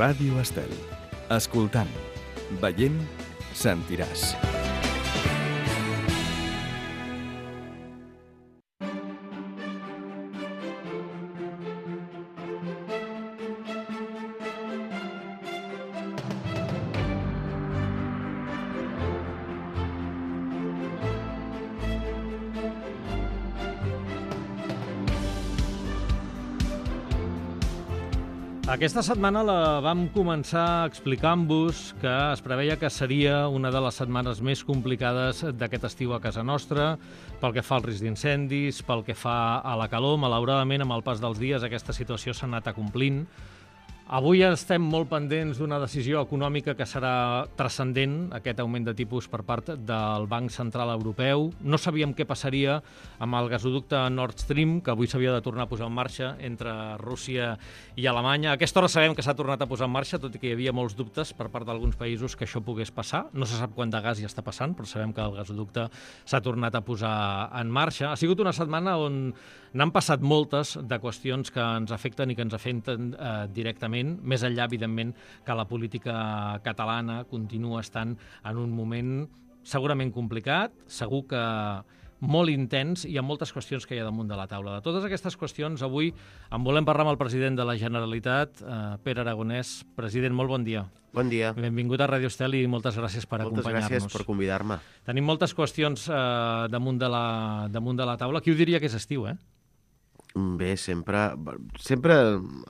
Ràdio Estel. Escoltant, veient, sentiràs. Aquesta setmana la vam començar explicant-vos que es preveia que seria una de les setmanes més complicades d'aquest estiu a casa nostra, pel que fa al risc d'incendis, pel que fa a la calor. Malauradament, amb el pas dels dies, aquesta situació s'ha anat acomplint. Avui estem molt pendents d'una decisió econòmica que serà transcendent, aquest augment de tipus per part del Banc Central Europeu. No sabíem què passaria amb el gasoducte Nord Stream, que avui s'havia de tornar a posar en marxa entre Rússia i Alemanya. A aquesta hora sabem que s'ha tornat a posar en marxa, tot i que hi havia molts dubtes per part d'alguns països que això pogués passar. No se sap quant de gas hi està passant, però sabem que el gasoducte s'ha tornat a posar en marxa. Ha sigut una setmana on n'han passat moltes de qüestions que ens afecten i que ens afecten directament, més enllà, evidentment, que la política catalana continua estant en un moment segurament complicat, segur que molt intens, i amb moltes qüestions que hi ha damunt de la taula. De totes aquestes qüestions, avui en volem parlar amb el president de la Generalitat, Pere Aragonès. President, molt bon dia. Bon dia. Benvingut a Ràdio Estel i moltes gràcies per acompanyar-nos. Moltes gràcies per convidar-me. Tenim moltes qüestions damunt de la taula. Qui ho diria que és estiu, eh? Bé, sempre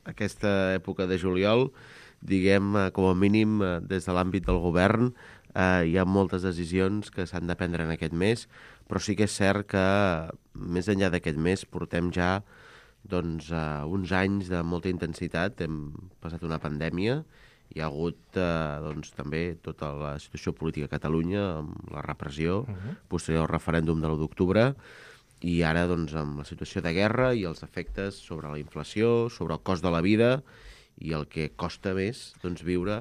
aquesta època de juliol, diguem, com a mínim, des de l'àmbit del govern, hi ha moltes decisions que s'han de prendre en aquest mes, però sí que és cert que, més enllà d'aquest mes, portem ja uns anys de molta intensitat. Hem passat una pandèmia, hi ha hagut també tota la situació política a Catalunya, amb la repressió, posterior al referèndum de l'1 d'octubre, i ara, amb la situació de guerra i els efectes sobre la inflació, sobre el cost de la vida i el que costa més viure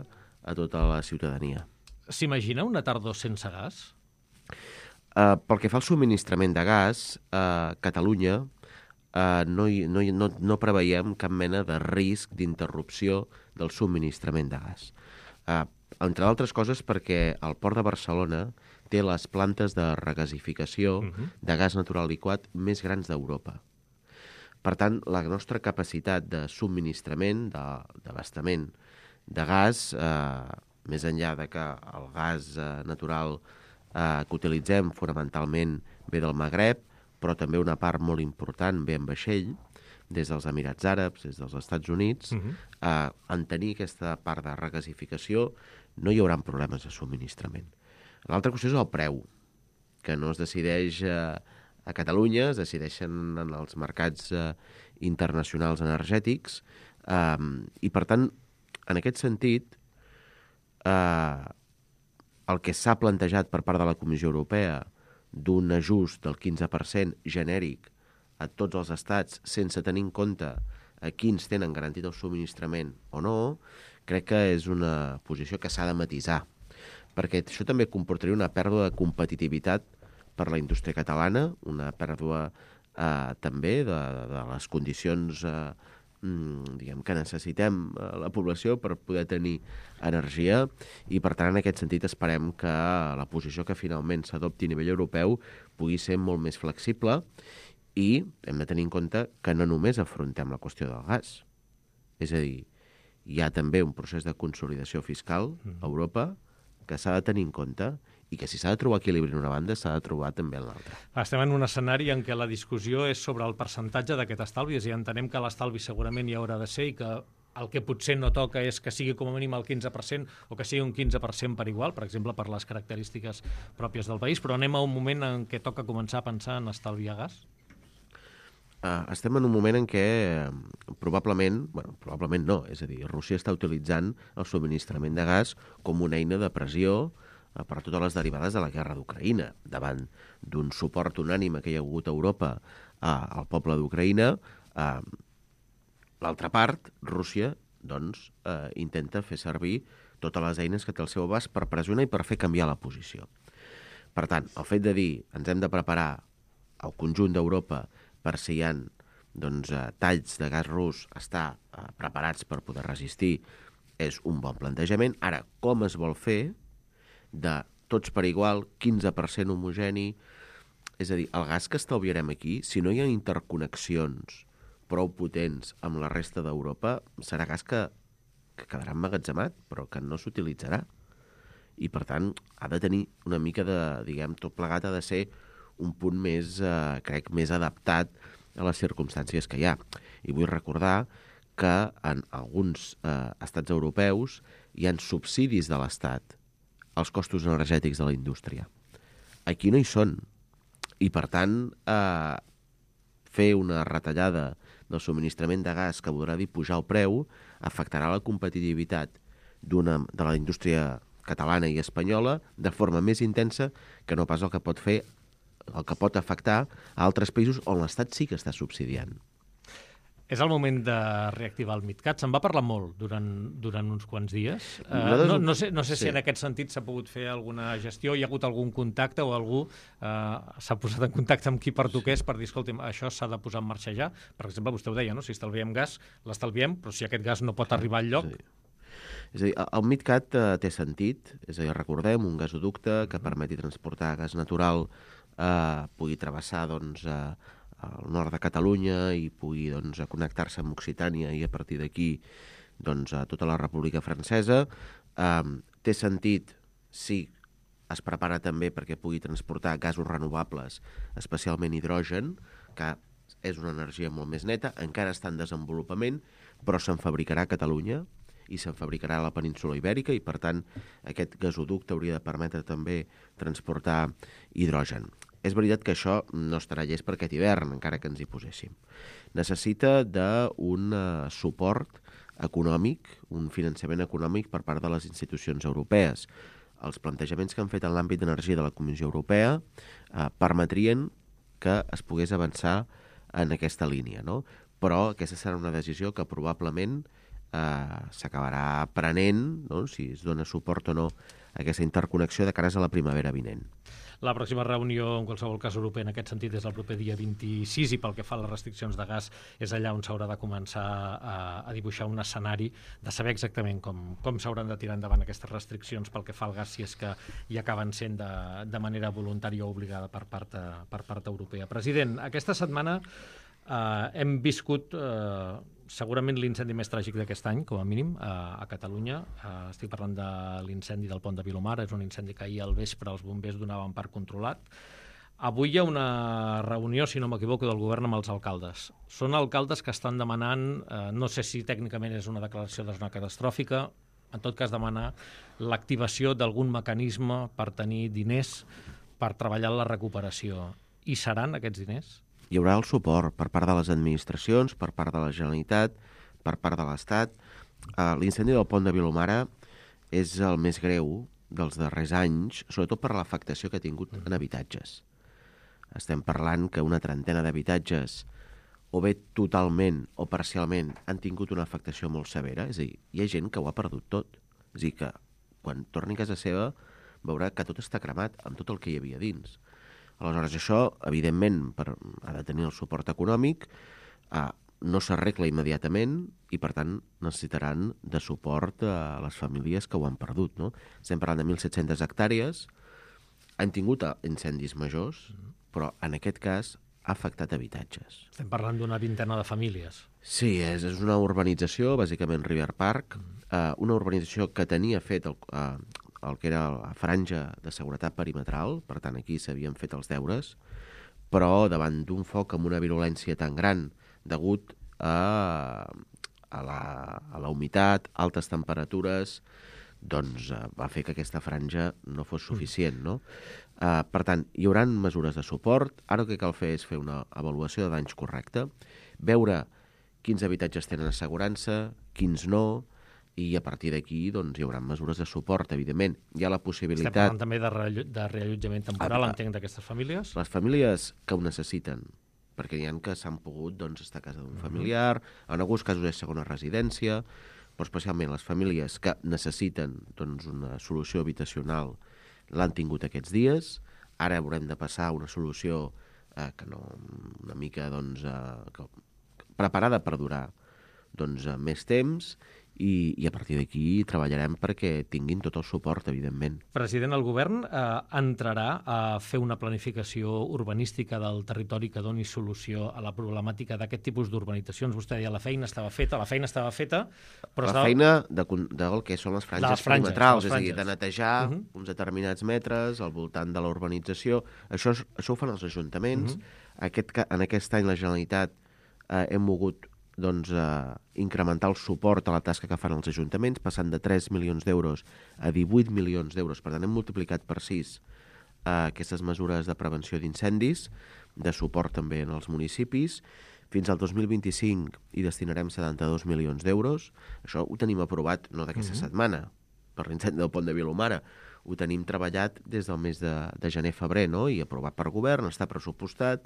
a tota la ciutadania. S'imagina una tardor sense gas? Pel que fa al subministrament de gas, a Catalunya no preveiem cap mena de risc d'interrupció del subministrament de gas. Entre altres coses perquè el Port de Barcelona té les plantes de regasificació de gas natural liquat més grans d'Europa. Per tant, la nostra capacitat de subministrament, d'abastament de gas, més enllà de que el gas natural que utilitzem fonamentalment ve del Magreb, però també una part molt important ve en vaixell, des dels Emirats Àrabs, des dels Estats Units, en tenir aquesta part de regasificació no hi haurà problemes de subministrament. L'altra qüestió és el preu, que no es decideix a Catalunya, es decideixen en els mercats internacionals energètics, i per tant, en aquest sentit, el que s'ha plantejat per part de la Comissió Europea d'un ajust del 15% genèric a tots els estats sense tenir en compte a quins tenen garantit el subministrament o no, crec que és una posició que s'ha de matisar, perquè això també comportaria una pèrdua de competitivitat per la indústria catalana, una pèrdua també de les condicions que necessitem la població per poder tenir energia, i per tant en aquest sentit esperem que la posició que finalment s'adopti a nivell europeu pugui ser molt més flexible, i hem de tenir en compte que no només afrontem la qüestió del gas, és a dir, hi ha també un procés de consolidació fiscal a Europa que s'ha de tenir en compte, i que si s'ha de trobar equilibri en una banda, s'ha de trobar també en l'altra. Estem en un escenari en què la discussió és sobre el percentatge d'aquest estalvi, i entenem que l'estalvi segurament hi haurà de ser, i que el que potser no toca és que sigui com a mínim el 15% o que sigui un 15% per igual, per exemple, per les característiques pròpies del país, però anem a un moment en què toca començar a pensar en estalviar gas? Estem en un moment en què probablement no, és a dir, Rússia està utilitzant el subministrament de gas com una eina de pressió per totes les derivades de la guerra d'Ucraïna, davant d'un suport unànime que hi ha hagut a Europa al poble d'Ucraïna. L'altra part, Rússia, intenta fer servir totes les eines que té al seu abast per pressionar i per fer canviar la posició. Per tant, el fet de dir ens hem de preparar al conjunt d'Europa per si hi ha talls de gas rus, estar preparats per poder resistir és un bon plantejament. Ara, com es vol fer de tots per igual, 15% homogeni? És a dir, el gas que estalviarem aquí, si no hi ha interconnexions prou potents amb la resta d'Europa, serà gas que quedarà emmagatzemat, però que no s'utilitzarà. I, per tant, ha de tenir una mica de, diguem, tot plegat ha de ser un punt més, crec, més adaptat a les circumstàncies que hi ha. I vull recordar que en alguns estats europeus hi ha subsidis de l'Estat als costos energètics de la indústria. Aquí no hi són. I, per tant, fer una retallada del subministrament de gas que voldrà dir pujar el preu afectarà la competitivitat de la indústria catalana i espanyola de forma més intensa que no pas el que pot afectar a altres països on l'Estat sí que està subsidiant. És el moment de reactivar el MidCat. Se'n va parlar molt durant uns quants dies. No sé si en aquest sentit s'ha pogut fer alguna gestió, hi ha hagut algun contacte o algú s'ha posat en contacte amb qui pertoqués per dir, escolta, això s'ha de posar en marxa ja. Per exemple, vostè ho deia, no? Si estalviem gas, l'estalviem, però si aquest gas no pot arribar al lloc... Sí. És a dir, el MidCat té sentit, és a dir, recordem, un gasoducte que permeti transportar gas natural, pugui travessar al nord de Catalunya i pugui connectar-se amb Occitània i a partir d'aquí a tota la República Francesa. Té sentit si es prepara també perquè pugui transportar gasos renovables, especialment hidrogen, que és una energia molt més neta, encara està en desenvolupament, però se'n fabricarà a Catalunya i se'n fabricarà a la península Ibèrica i, per tant, aquest gasoducte hauria de permetre també transportar hidrogen. És veritat que això no estarà llest per aquest hivern, encara que ens hi poséssim. Necessita d'un suport econòmic, un finançament econòmic per part de les institucions europees. Els plantejaments que han fet en l'àmbit d'energia de la Comissió Europea permetrien que es pogués avançar en aquesta línia, no? Però aquesta serà una decisió que probablement s'acabarà prenent, no? Si es dona suport o no a aquesta interconnexió de cares a la primavera vinent. La pròxima reunió, en qualsevol cas europea, en aquest sentit, és el proper dia 26 i pel que fa a les restriccions de gas és allà on s'haurà de començar a dibuixar un escenari de saber exactament com s'hauran de tirar endavant aquestes restriccions pel que fa al gas, si és que hi acaben sent de manera voluntària o obligada per part europea. President, aquesta setmana hem viscut segurament l'incendi més tràgic d'aquest any, com a mínim, a Catalunya. Estic parlant de l'incendi del pont de Vilomara. És un incendi que ahir al vespre els bombers donaven per controlat. Avui hi ha una reunió, si no m'equivoco, del govern amb els alcaldes. Són alcaldes que estan demanant, no sé si tècnicament és una declaració de zona catastròfica, en tot cas demanar l'activació d'algun mecanisme per tenir diners per treballar en la recuperació. I seran aquests diners? Hi haurà el suport per part de les administracions, per part de la Generalitat, per part de l'Estat. L'incendi del pont de Vilomara és el més greu dels darrers anys, sobretot per l'afectació que ha tingut en habitatges. Estem parlant que una trentena d'habitatges, o bé totalment o parcialment, han tingut una afectació molt severa. És a dir, hi ha gent que ho ha perdut tot. És a dir, que quan torni a casa seva veurà que tot està cremat amb tot el que hi havia dins. Aleshores, això, evidentment, ha de tenir el suport econòmic, no s'arregla immediatament i, per tant, necessitaran de suport a les famílies que ho han perdut, no? Estem parlant de 1.700 hectàrees, han tingut incendis majors, però en aquest cas ha afectat habitatges. Estem parlant d'una vintena de famílies. Sí, és una urbanització, bàsicament River Park, una urbanització que tenia fet el que era la franja de seguretat perimetral, per tant aquí s'havien fet els deures, però davant d'un foc amb una virulència tan gran degut a la humitat, altes temperatures, doncs va fer que aquesta franja no fos suficient, no? Per tant, hi haurà mesures de suport. Ara el que cal fer és fer una avaluació de danys correcta, veure quins habitatges tenen assegurança, quins no, i a partir d'aquí doncs, hi haurà mesures de suport, evidentment. Hi ha la possibilitat... Estem parlant també de reallotjament temporal, entenc, d'aquestes famílies? Les famílies que ho necessiten, perquè n'hi ha que s'han pogut estar a casa d'un familiar, en alguns casos és segona residència, però especialment les famílies que necessiten una solució habitacional l'han tingut aquests dies. Ara haurem de passar a una solució una mica preparada per durar més temps, i a partir d'aquí treballarem perquè tinguin tot el suport, evidentment. President, el govern entrarà a fer una planificació urbanística del territori que doni solució a la problemàtica d'aquest tipus d'urbanitzacions. Vostè deia la feina estava feta, però la feina del que són les franges perimetrals, és a dir, de netejar uns determinats metres al voltant de la urbanització. Això ho fan els ajuntaments. En aquest any la Generalitat hem mogut incrementar el suport a la tasca que fan els ajuntaments, passant de 3 milions d'euros a 18 milions d'euros. Per tant, hem multiplicat per 6 aquestes mesures de prevenció d'incendis, de suport també en els municipis. Fins al 2025 hi destinarem 72 milions d'euros. Això ho tenim aprovat no d'aquesta setmana, per l'incendi del pont de Vilomara. Ho tenim treballat des del mes de gener-febrer, no? I aprovat per govern, està pressupostat,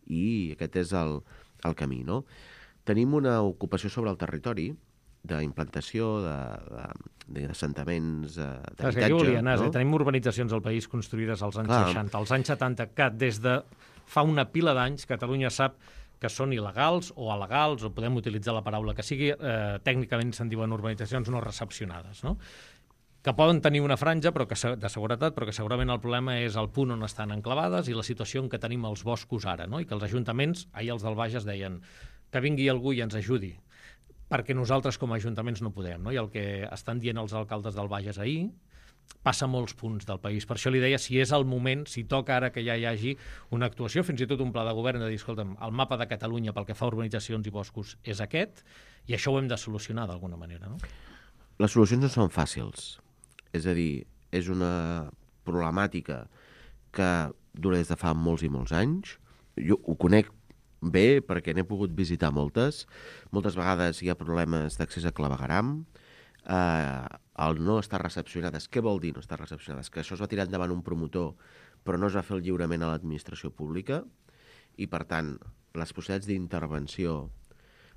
i aquest és el camí, no? Tenim una ocupació sobre el territori d'implantació d'assentaments d'habitatge. És que aquí volia anar, tenim urbanitzacions al país construïdes als anys 60, als anys 70, que des de fa una pila d'anys Catalunya sap que són il·legals o alegals, o podem utilitzar la paraula que sigui, tècnicament se'n diuen urbanitzacions no recepcionades, no? Que poden tenir una franja de seguretat, però que segurament el problema és el punt on estan enclavades i la situació en què tenim els boscos ara, no? I que els ajuntaments, ahir els del Bages deien que vingui algú i ens ajudi, perquè nosaltres com a ajuntaments no podem, no? I el que estan dient els alcaldes del Bages ahir passa a molts punts del país. Per això li deia si és el moment, si toca ara que ja hi hagi una actuació, fins i tot un pla de govern de dir, escolta'm, el mapa de Catalunya pel que fa a urbanitzacions i boscos és aquest, i això ho hem de solucionar d'alguna manera, no? Les solucions no són fàcils. És a dir, és una problemàtica que dura des de fa molts i molts anys. Jo ho conec bé perquè n'he pogut visitar moltes. Moltes vegades hi ha problemes d'accés a clavegueram, el no estar recepcionades. Què vol dir no estar recepcionades? Que això es va tirar endavant un promotor, però no es va fer el lliurament a l'administració pública i, per tant, les possibilitats d'intervenció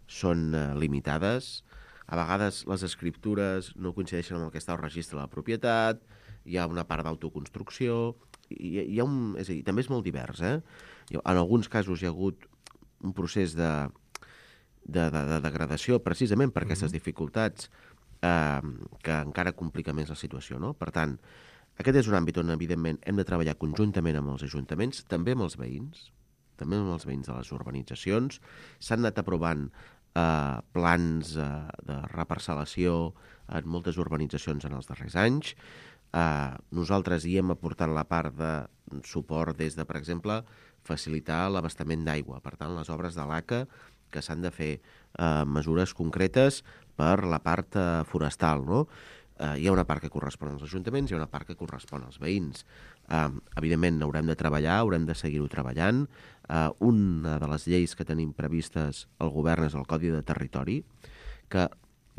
són limitades. A vegades les escriptures no coincideixen amb el que està al registre de la propietat, hi ha una part d'autoconstrucció, és a dir, també és molt divers, En alguns casos hi ha hagut un procés de degradació precisament per aquestes dificultats que encara complica més la situació, no? Per tant, aquest és un àmbit on, evidentment, hem de treballar conjuntament amb els ajuntaments, també amb els veïns de les urbanitzacions. S'han anat aprovant plans de reparcel·lació en moltes urbanitzacions en els darrers anys. Nosaltres hi hem aportat la part de suport des de, per exemple, facilitar l'abastament d'aigua. Per tant, les obres de l'ACA, que s'han de fer mesures concretes per la part forestal, no? Hi ha una part que correspon als ajuntaments, hi ha una part que correspon als veïns. Evidentment, haurem de treballar, haurem de seguir-ho treballant. Una de les lleis que tenim previstes al govern és el Codi de Territori, que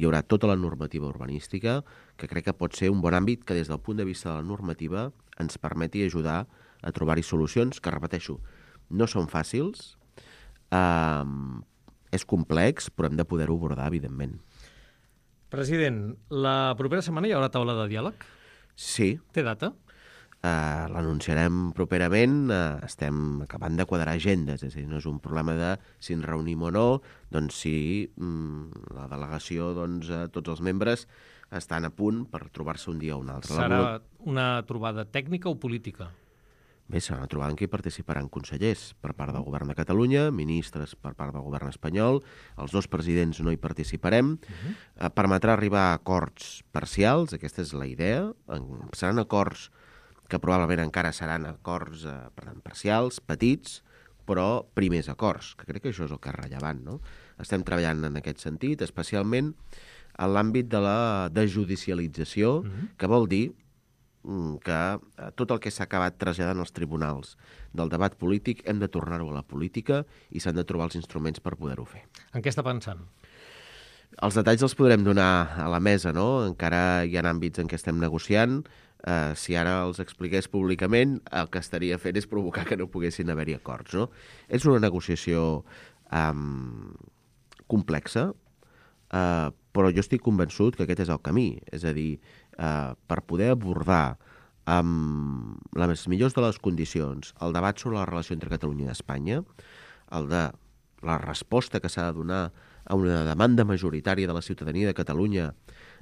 hi haurà tota la normativa urbanística, que crec que pot ser un bon àmbit que des del punt de vista de la normativa ens permeti ajudar a trobar-hi solucions, que, repeteixo, no són fàcils, és complex, però hem de poder-ho abordar, evidentment. President, la propera setmana hi haurà taula de diàleg? Sí. Té data? L'anunciarem properament, estem acabant de quadrar agendes, és a dir, no és un problema de si ens reunim o no, doncs si la delegació, tots els membres estan a punt per trobar-se un dia o un altre. Serà una trobada tècnica o política? Bé, serà una trobada en què hi participaran consellers per part del govern de Catalunya, ministres per part del govern espanyol, els dos presidents no hi participarem, permetrà arribar a acords parcials, aquesta és la idea, seran acords que probablement encara seran acords parcials, petits, però primers acords, que crec que això és el que és rellevant, no? Estem treballant en aquest sentit, especialment en l'àmbit de la desjudicialització, que vol dir que tot el que s'ha acabat traslladant als tribunals del debat polític hem de tornar-ho a la política i s'han de trobar els instruments per poder-ho fer. En què està pensant? Els detalls els podrem donar a la mesa, no? Encara hi ha àmbits en què estem negociant. Si ara els expliqués públicament, el que estaria fent és provocar que no poguessin haver-hi acords, no? És una negociació complexa, però jo estic convençut que aquest és el camí. És a dir, per poder abordar amb les millors de les condicions el debat sobre la relació entre Catalunya i Espanya, el de la resposta que s'ha de donar a una demanda majoritària de la ciutadania de Catalunya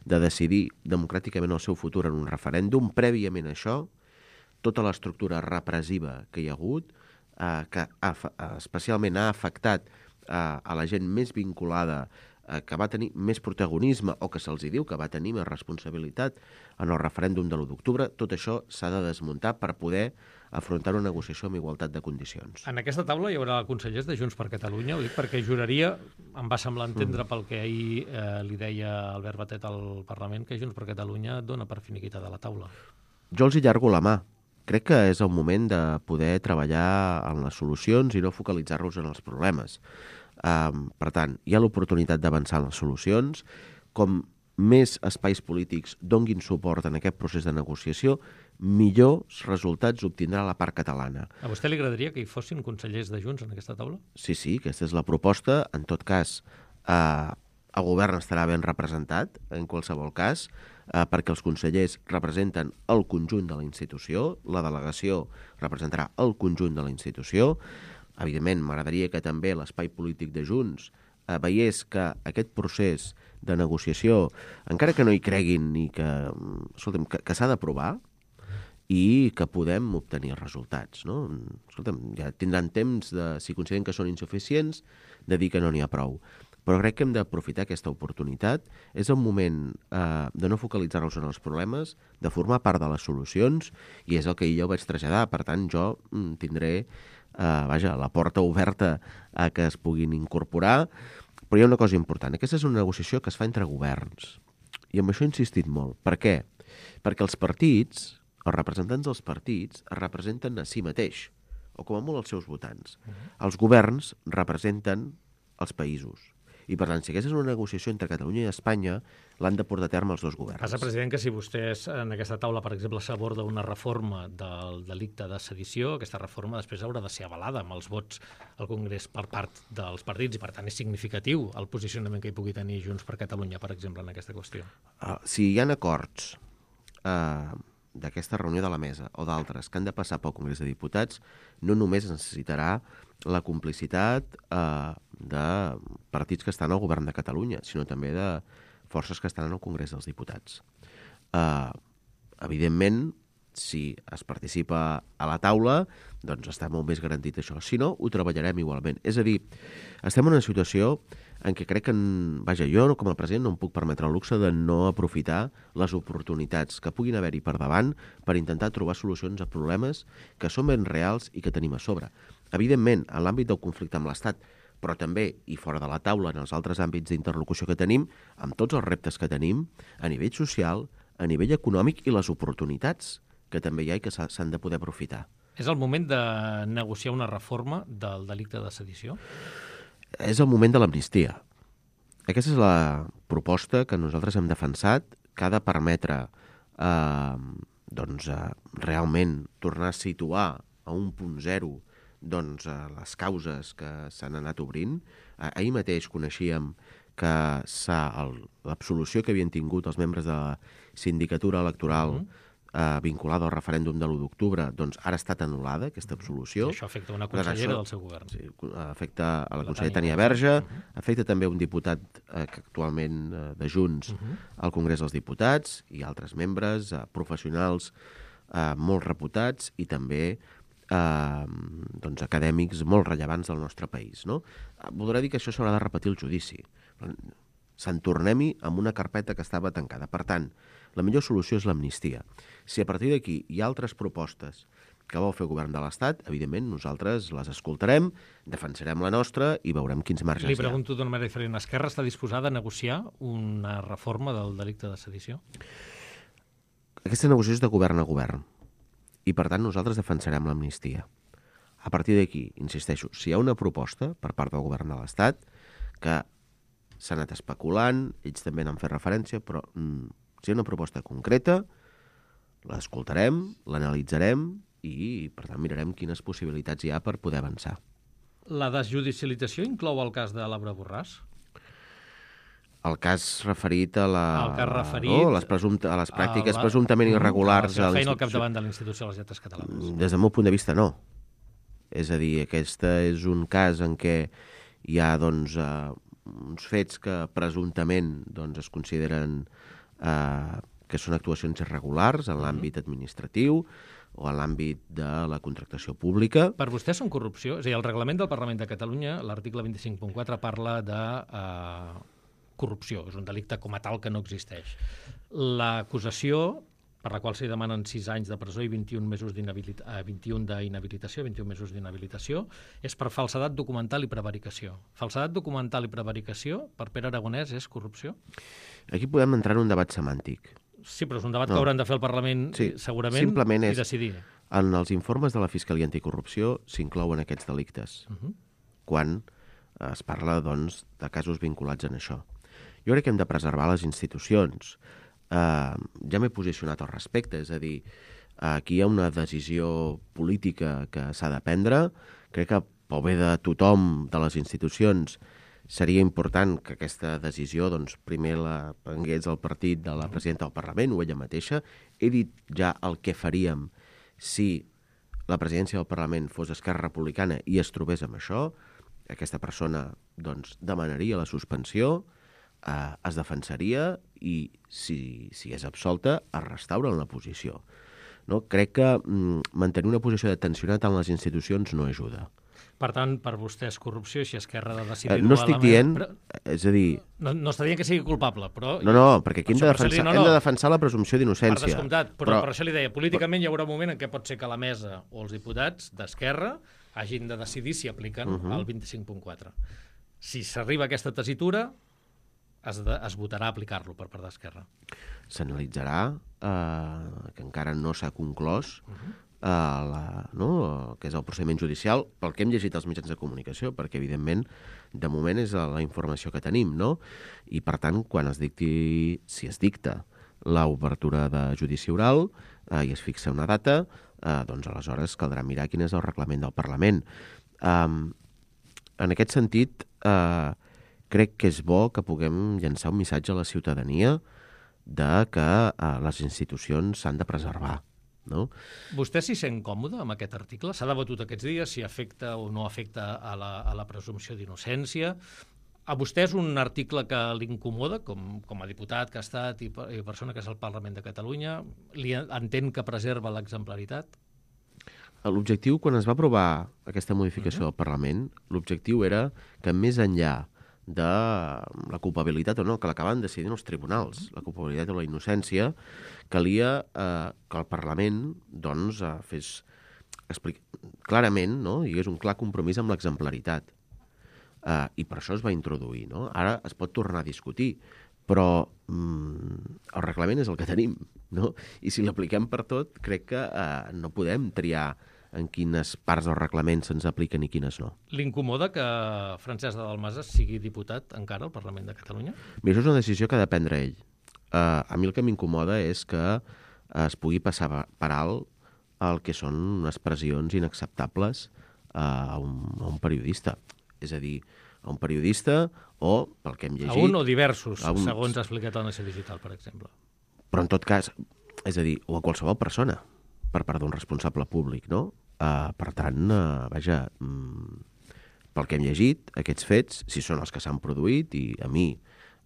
de decidir democràticament el seu futur en un referèndum. Prèviament a això, tota l'estructura repressiva que hi ha hagut, que especialment ha afectat a la gent més vinculada, que va tenir més protagonisme o que se'ls diu que va tenir més responsabilitat en el referèndum de l'1 d'octubre, tot això s'ha de desmuntar per poder afrontar una negociació amb igualtat de condicions. En aquesta taula hi haurà consellers de Junts per Catalunya, ho dic perquè juraria, em va semblar entendre pel que ahir li deia Albert Batet al Parlament, que Junts per Catalunya dona per finiquitada la taula. Jo els hi llargo la mà. Crec que és el moment de poder treballar en les solucions i no focalitzar-nos en els problemes. Per tant, hi ha l'oportunitat d'avançar en les solucions. Com més espais polítics donguin suport en aquest procés de negociació, millors resultats obtindrà la part catalana. A vostè li agradaria que hi fossin consellers de Junts en aquesta taula? Sí, aquesta és la proposta. En tot cas, el govern estarà ben representat, en qualsevol cas, perquè els consellers representen el conjunt de la institució, la delegació representarà el conjunt de la institució. Evidentment, m'agradaria que també l'espai polític de Junts veiés que aquest procés de negociació, encara que no hi creguin ni que, escolta'm, que s'ha d'aprovar i que podem obtenir resultats, no? Escolta'm, ja tindran temps, si consideren que són insuficients, de dir que no n'hi ha prou. Però crec que hem d'aprofitar aquesta oportunitat. És el moment de no focalitzar-nos en els problemes, de formar part de les solucions, i és el que jo vaig traslladar. Per tant, jo tindré la porta oberta a que es puguin incorporar. Però hi ha una cosa important. Aquesta és una negociació que es fa entre governs. I amb això he insistit molt. Per què? Perquè els partits, els representants dels partits, es representen a si mateix, o com a molt els seus votants. Els governs representen els països. I, per tant, si aquesta és una negociació entre Catalunya i Espanya, l'han de portar a terme els dos governs. Passa, president, que si vostès en aquesta taula, per exemple, s'aborda una reforma del delicte de sedició, aquesta reforma després haurà de ser avalada amb els vots al Congrés per part dels partits i, per tant, és significatiu el posicionament que hi pugui tenir Junts per Catalunya, per exemple, en aquesta qüestió. Si hi ha acords d'aquesta reunió de la mesa o d'altres que han de passar pel Congrés de Diputats, no només necessitarà la complicitat de partits que estan al govern de Catalunya, sinó també de forces que estan al Congrés dels Diputats. Evidentment, si es participa a la taula, doncs està molt més garantit això. Si no, ho treballarem igualment. És a dir, estem en una situació en què crec que, jo com a president no em puc permetre el luxe de no aprofitar les oportunitats que puguin haver-hi per davant per intentar trobar solucions a problemes que són ben reals i que tenim a sobre. Evidentment, en l'àmbit del conflicte amb l'Estat, però també, i fora de la taula, en els altres àmbits d'interlocució que tenim, amb tots els reptes que tenim, a nivell social, a nivell econòmic i les oportunitats que també hi ha i que s'han de poder aprofitar. És el moment de negociar una reforma del delicte de sedició? És el moment de l'amnistia. Aquesta és la proposta que nosaltres hem defensat, que ha de permetre realment tornar a situar a un punt zero les causes que s'han anat obrint. Ahir mateix coneixíem que l'absolució que havien tingut els membres de la sindicatura electoral vinculada al referèndum de l'1 d'octubre, doncs ara ha estat anul·lada, aquesta absolució. I això afecta una consellera del seu govern. Sí, afecta a la consellera Tania Verge, afecta també un diputat que actualment de Junts al Congrés dels Diputats i altres membres, professionals molt reputats i també acadèmics molt rellevants del nostre país. Voldrà dir que això s'haurà de repetir el judici. Se'n tornem-hi amb una carpeta que estava tancada. Per tant, la millor solució és l'amnistia. Si a partir d'aquí hi ha altres propostes que vol fer el govern de l'Estat, evidentment nosaltres les escoltarem, defensarem la nostra i veurem quins marges hi ha. Li pregunto d'una manera diferent. Esquerra està disposada a negociar una reforma del delicte de sedició? Aquesta negociació és de govern a govern i, per tant, nosaltres defensarem l'amnistia. A partir d'aquí, insisteixo, si hi ha una proposta per part del govern de l'Estat que s'ha anat especulant, ells també n'han fet referència, però si hi ha una proposta concreta, l'escoltarem, l'analitzarem i, per tant, mirarem quines possibilitats hi ha per poder avançar. La desjudicialització inclou el cas de Laura Borràs? El cas referit a les pràctiques presumptament irregulars a la feina al capdavant de l'Institució de les Lletres Catalanes. Des del meu punt de vista, no. És a dir, aquest és un cas en què hi ha uns fets que presumptament doncs, es consideren que són actuacions irregulars en l'àmbit administratiu o en l'àmbit de la contractació pública. Per vostè són corrupció? És a dir, el reglament del Parlament de Catalunya, l'article 25.4, parla de corrupció. És un delicte com a tal que no existeix. L'acusació, per la qual s'hi demanen 6 anys de presó i 21 mesos d'inhabilitació, 21 mesos d'inhabilitació, és per falsedat documental i prevaricació. Falsedat documental i prevaricació, per Pere Aragonès, és corrupció? Aquí podem entrar en un debat semàntic. Sí, però és un debat que hauran de fer el Parlament, segurament, i decidir. En els informes de la Fiscalia Anticorrupció s'inclouen aquests delictes, quan es parla, doncs, de casos vinculats en això. Jo crec que hem de preservar les institucions. Ja m'he posicionat al respecte, és a dir, aquí hi ha una decisió política que s'ha de prendre. Crec que pel bé de tothom, de les institucions, seria important que aquesta decisió doncs, primer la prengués el partit de la presidenta del Parlament o ella mateixa. He dit ja el que faríem si la presidència del Parlament fos Esquerra Republicana i es trobés amb això. Aquesta persona doncs, demanaria la suspensió, es defensaria i, si és absolta, es restaura en la posició. No? Crec que mantenir una posició de tensionar tant les institucions no ajuda. Per tant, per vostè és corrupció si Esquerra ha de decidir... No estic dient... És a dir... No està dient que sigui culpable, però... No, perquè aquí hem de defensar la presumpció d'innocència. Per descomptat, però per això li deia, políticament hi haurà un moment en què pot ser que la mesa o els diputats d'Esquerra hagin de decidir si apliquen el 25.4. Si s'arriba a aquesta tessitura, es votarà a aplicar-lo per part d'Esquerra. S'analitzarà, que encara no s'ha conclòs, que és el procediment judicial, pel que hem llegit als mitjans de comunicació, perquè, evidentment, de moment és la informació que tenim, no? I, per tant, quan si es dicta l'obertura de judici oral i es fixa una data, doncs aleshores caldrà mirar quin és el reglament del Parlament. En aquest sentit, crec que és bo que puguem llançar un missatge a la ciutadania de que les institucions s'han de preservar. No? Vostè s'hi sent còmode amb aquest article? S'ha debatut aquests dies si afecta o no afecta a la presumpció d'innocència. A vostè és un article que l'incomoda, com a diputat que ha estat i persona que és al Parlament de Catalunya? Entén que preserva l'exemplaritat? L'objectiu, quan es va aprovar aquesta modificació del Parlament, l'objectiu era que més enllà de la culpabilitat o no, que l'acaben decidint els tribunals, la culpabilitat o la innocència, calia que el Parlament doncs, fes clarament, no? Hi hagués un clar compromís amb l'exemplaritat. I per això es va introduir. No? Ara es pot tornar a discutir, però el reglament és el que tenim. No? I si l'apliquem per tot, crec que no podem triar en quines parts del reglament se'ns apliquen i quines no. L'incomoda que Francesc de Dalmases sigui diputat encara al Parlament de Catalunya? Bé, això és una decisió que ha de prendre ell. A mi el que m'incomoda és que es pugui passar per alt el que són expressions inacceptables a un periodista. És a dir, a un periodista o, pel que hem llegit... A un o diversos, segons ha explicat a Nació Digital, per exemple. Però en tot cas, és a dir, o a qualsevol persona, per part d'un responsable públic, no? Per tant, vaja, pel que hem llegit, aquests fets, si són els que s'han produït, i a mi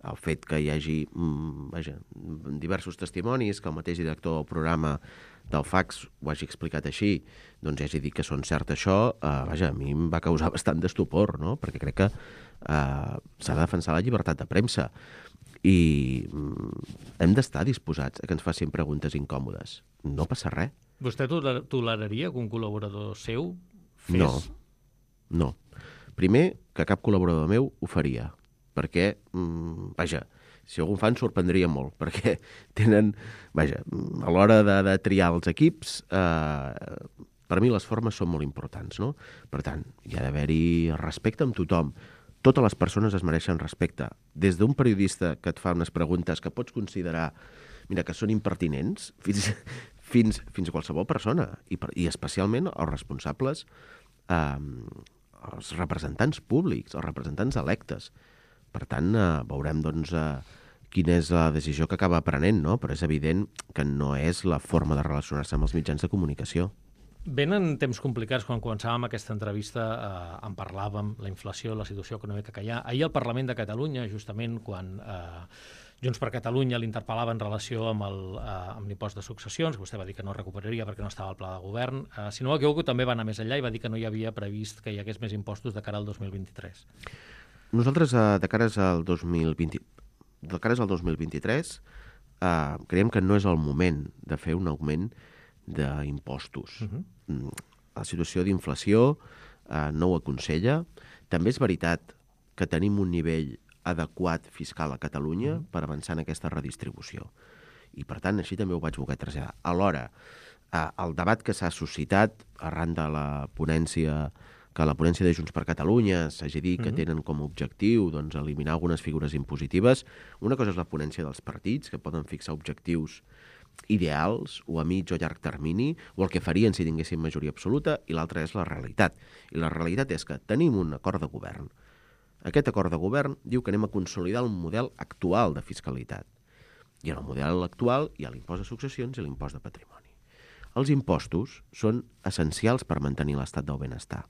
el fet que hi hagi diversos testimonis, que el mateix director del programa del FACS ho hagi explicat així, doncs hagi dit que són cert això, vaja, a mi em va causar bastant d'estupor, no? Perquè crec que s'ha de defensar la llibertat de premsa i hem d'estar disposats a que ens facin preguntes incòmodes. No passa res. Vostè toleraria que un col·laborador seu fes... No. Primer, que cap col·laborador meu ho faria, perquè, vaja, si algun fan sorprendria molt, perquè tenen, vaja, a l'hora de triar els equips, per mi les formes són molt importants, no? Per tant, hi ha d'haver-hi respecte amb tothom. Totes les persones es mereixen respecte. Des d'un periodista que et fa unes preguntes que pots considerar, mira, que són impertinents, fins a qualsevol persona, i especialment els responsables, els representants públics, els representants electes. Per tant, veurem doncs, quina és la decisió que acaba prenent, no? Però és evident que no és la forma de relacionar-se amb els mitjans de comunicació. Venen temps complicats. Quan començàvem aquesta entrevista en parlàvem, la inflació, la situació econòmica que hi ha. Ahir al Parlament de Catalunya, justament quan Junts per Catalunya l'interpel·lava en relació amb l'impost de successions, vostè va dir que no recuperaria perquè no estava al pla de govern. Si no m'equivoco, també va anar més enllà i va dir que no hi havia previst que hi hagués més impostos de cara al 2023. Nosaltres, de cares al 2023, creiem que no és el moment de fer un augment d'impostos. La situació d'inflació no ho aconsella. També és veritat que tenim un nivell adequat fiscal a Catalunya per avançar en aquesta redistribució. I, per tant, així també ho vaig voler traslladar. Alhora, el debat que s'ha suscitat arran de la ponència de Junts per Catalunya s'hagi dit que tenen com a objectiu doncs, eliminar algunes figures impositives. Una cosa és la ponència dels partits, que poden fixar objectius ideals o a mig o llarg termini, o el que farien si tinguessin majoria absoluta, i l'altra és la realitat. I la realitat és que tenim un acord de govern. Aquest acord de govern diu que anem a consolidar el model actual de fiscalitat. I en el model actual hi ha l'impost de successions i l'impost de patrimoni. Els impostos són essencials per mantenir l'estat del benestar.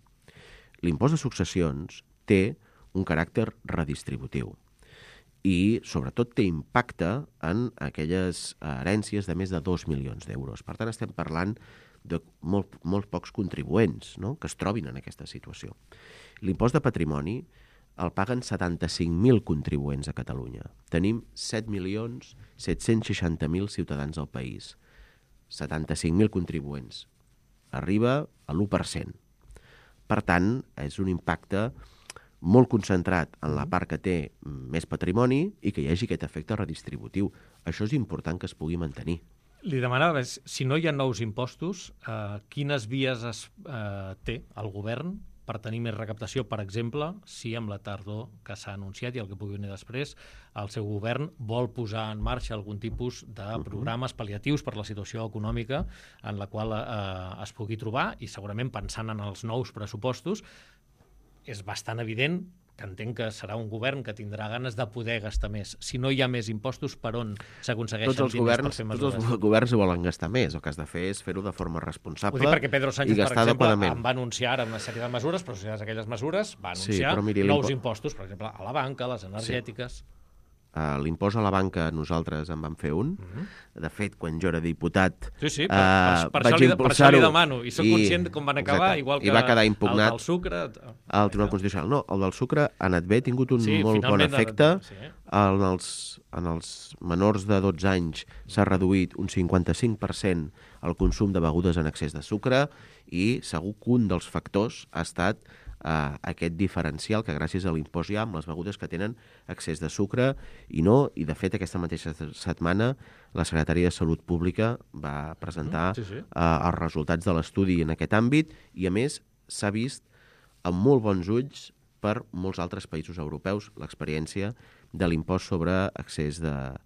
L'impost de successions té un caràcter redistributiu i, sobretot, té impacte en aquelles herències de més de 2 milions d'euros. Per tant, estem parlant de molt pocs contribuents, no?, que es trobin en aquesta situació. L'impost de patrimoni el paguen 75.000 contribuents a Catalunya. Tenim 7.760.000 ciutadans al país. 75.000 contribuents. Arriba a l'1%. Per tant, és un impacte molt concentrat en la part que té més patrimoni i que hi hagi aquest efecte redistributiu. Això és important que es pugui mantenir. Li demanava, si no hi ha nous impostos, quines vies té el govern per tenir més recaptació? Per exemple, si amb la tardor que s'ha anunciat i el que pugui venir després, el seu govern vol posar en marxa algun tipus de programes pal·liatius per la situació econòmica en la qual es pugui trobar, i segurament pensant en els nous pressupostos, és bastant evident que entenc que serà un govern que tindrà ganes de poder gastar més. Si no hi ha més impostos, per on s'aconsegueixen diners per fer mesures? Tots els governs volen gastar més. El que has de fer és fer-ho de forma responsable i gastar adequadament. Ho dic perquè Pedro Sánchez, per exemple, en va anunciar ara una sèrie de mesures, però associades a aquelles mesures va anunciar nous impostos, per exemple, a la banca, a les energètiques. L'impost a la banca nosaltres en vam fer un. De fet, quan jo era diputat per això li demano. I soc conscient com van acabar, igual que va quedar impugnat el del sucre. Al Tribunal Constitucional. No, el del sucre ha anat bé, ha tingut un molt bon efecte. En els menors de 12 anys s'ha reduït un 55% el consum de begudes en excés de sucre i segur que un dels factors ha estat aquest diferencial que gràcies a l'impost hi ha amb les begudes que tenen excés de sucre i de fet aquesta mateixa setmana la Secretaria de Salut Pública va presentar els resultats de l'estudi en aquest àmbit i a més s'ha vist amb molt bons ulls per molts altres països europeus l'experiència de l'impost sobre excés de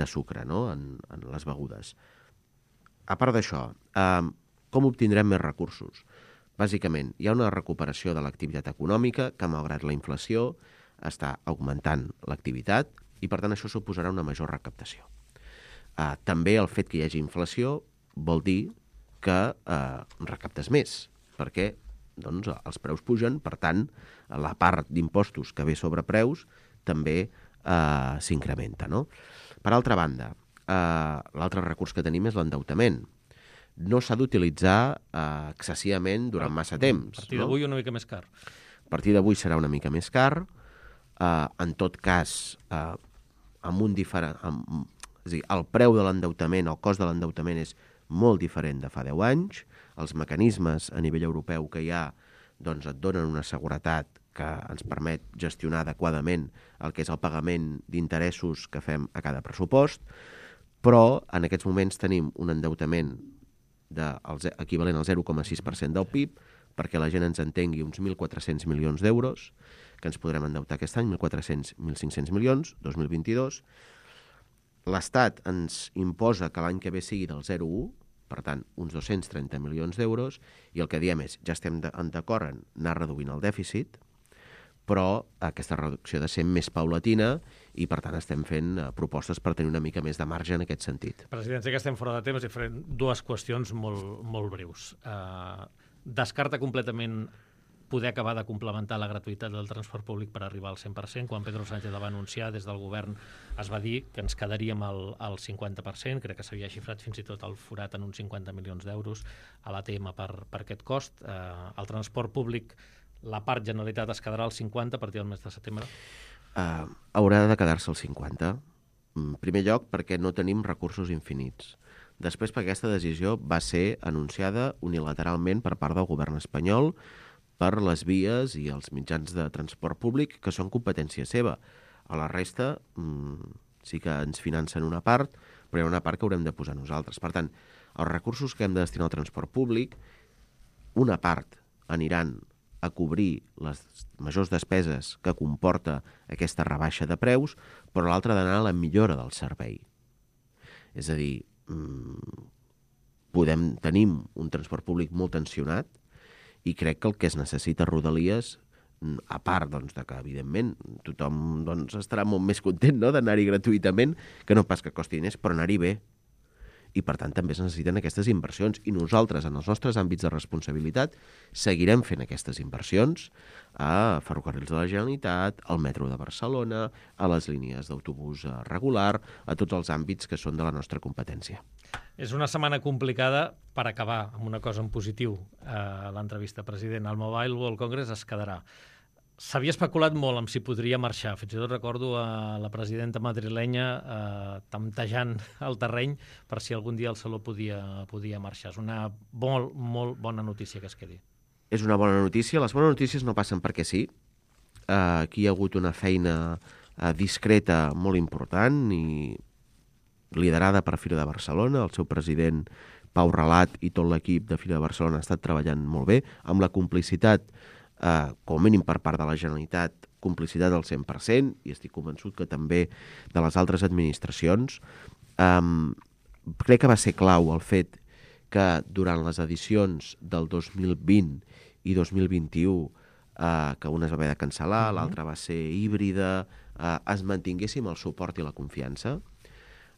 sucre, no?, en les begudes. A part d'això, com obtindrem més recursos? Bàsicament, hi ha una recuperació de l'activitat econòmica que, malgrat la inflació, està augmentant l'activitat i, per tant, això suposarà una major recaptació. També el fet que hi hagi inflació vol dir que recaptes més, perquè els preus pugen, per tant, la part d'impostos que ve sobre preus també s'incrementa, no? Per altra banda, l'altre recurs que tenim és l'endeutament. No s'ha d'utilitzar excessivament durant massa temps. A partir d'avui una mica més car. A partir d'avui serà una mica més car. En tot cas, amb un diferent... És a dir, el preu de l'endeutament, el cost de l'endeutament és molt diferent de fa 10 anys. Els mecanismes a nivell europeu que hi ha doncs, et donen una seguretat que ens permet gestionar adequadament el que és el pagament d'interessos que fem a cada pressupost, però en aquests moments tenim un endeutament equivalent al 0,6% del PIB, perquè la gent ens entengui, uns 1.400 milions d'euros, que ens podrem endeutar aquest any, 1.500 milions, 2022. L'Estat ens imposa que l'any que ve sigui del 0,1, per tant, uns 230 milions d'euros, i el que diem és, ja estem d'acord en anar reduint el dèficit, però aquesta reducció ha de ser més paulatina i, per tant, estem fent propostes per tenir una mica més de marge en aquest sentit. President, sé que estem fora de temps i farem dues qüestions molt breus. Descarta completament poder acabar de complementar la gratuïtat del transport públic per arribar al 100%. Quan Pedro Sánchez la va anunciar, des del govern es va dir que ens quedaríem al 50%, crec que s'havia xifrat fins i tot el forat en uns 50 milions d'euros a l'ATM per aquest cost. El transport públic, la part Generalitat es quedarà al 50% a partir del mes de setembre? Haurà de quedar-se al 50%. En primer lloc, perquè no tenim recursos infinits. Després, perquè aquesta decisió va ser anunciada unilateralment per part del govern espanyol per les vies i els mitjans de transport públic, que són competència seva. A la resta sí que ens financen una part, però hi ha una part que haurem de posar nosaltres. Per tant, els recursos que hem de destinar al transport públic, una part aniran a cobrir les majors despeses que comporta aquesta rebaixa de preus, però l'altra ha d'anar a la millora del servei. És a dir, tenim un transport públic molt tensionat i crec que el que es necessita a Rodalies, a part de que, evidentment, tothom estarà molt més content d'anar-hi gratuïtament, que no pas que costi diners, però anar-hi bé. I, per tant, també es necessiten aquestes inversions. I nosaltres, en els nostres àmbits de responsabilitat, seguirem fent aquestes inversions a Ferrocarrils de la Generalitat, al metro de Barcelona, a les línies d'autobús regular, a tots els àmbits que són de la nostra competència. És una setmana complicada per acabar amb una cosa en positiu. L'entrevista, president, el Mobile World Congress es quedarà. S'havia especulat molt amb si podria marxar. Fins i tot recordo a la presidenta madrilenya temptejant el terreny per si algun dia el Saló podia marxar. És una molt bona notícia que es quedi. És una bona notícia. Les bones notícies no passen perquè sí. Aquí hi ha hagut una feina discreta molt important i liderada per Fira de Barcelona. El seu president, Pau Relat, i tot l'equip de Fira de Barcelona ha estat treballant molt bé, amb la complicitat, com a mínim per part de la Generalitat, complicitat al 100%, i estic convençut que també de les altres administracions. Crec que va ser clau el fet que durant les edicions del 2020 i 2021, que una es va haver de cancel·lar, l'altra va ser híbrida, es mantinguéssim el suport i la confiança.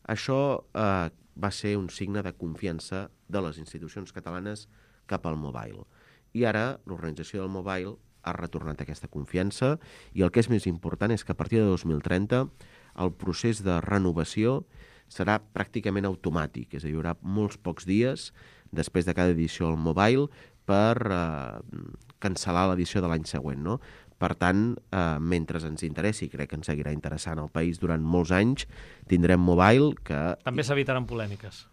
Això va ser un signe de confiança de les institucions catalanes cap al mobile. I ara l'organització del mobile ha retornat aquesta confiança i el que és més important és que a partir de 2030 el procés de renovació serà pràcticament automàtic, és a dir, hi haurà molts pocs dies després de cada edició al mobile per cancel·lar l'edició de l'any següent, no? Per tant, mentre ens interessi, crec que ens seguirà interessant el país durant molts anys, tindrem mobile que... També s'evitaran polèmiques.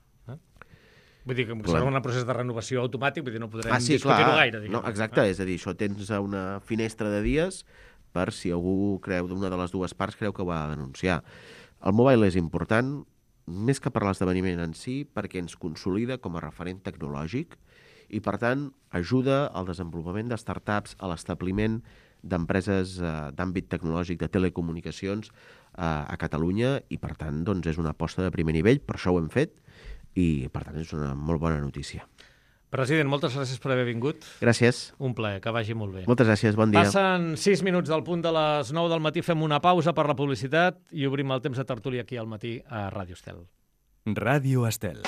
Vull dir que serà un procés de renovació automàtic, vull dir, no podrem discutir-ho gaire. No, exacte, és a dir, això tens una finestra de dies per si algú creu, d'una de les dues parts creu que ho ha de denunciar. El mobile és important, més que per l'esdeveniment en si, perquè ens consolida com a referent tecnològic i, per tant, ajuda al desenvolupament de startups, a l'establiment d'empreses d'àmbit tecnològic de telecomunicacions a Catalunya i, per tant, doncs, és una aposta de primer nivell, per això ho hem fet i, per tant, és una molt bona notícia. President, moltes gràcies per haver vingut. Gràcies. Un plaer, que vagi molt bé. Moltes gràcies, bon dia. Passen 6 minuts del punt de les 9 del matí, fem una pausa per la publicitat i obrim el temps de tertúlia aquí al matí a Ràdio Estel. Ràdio Estel.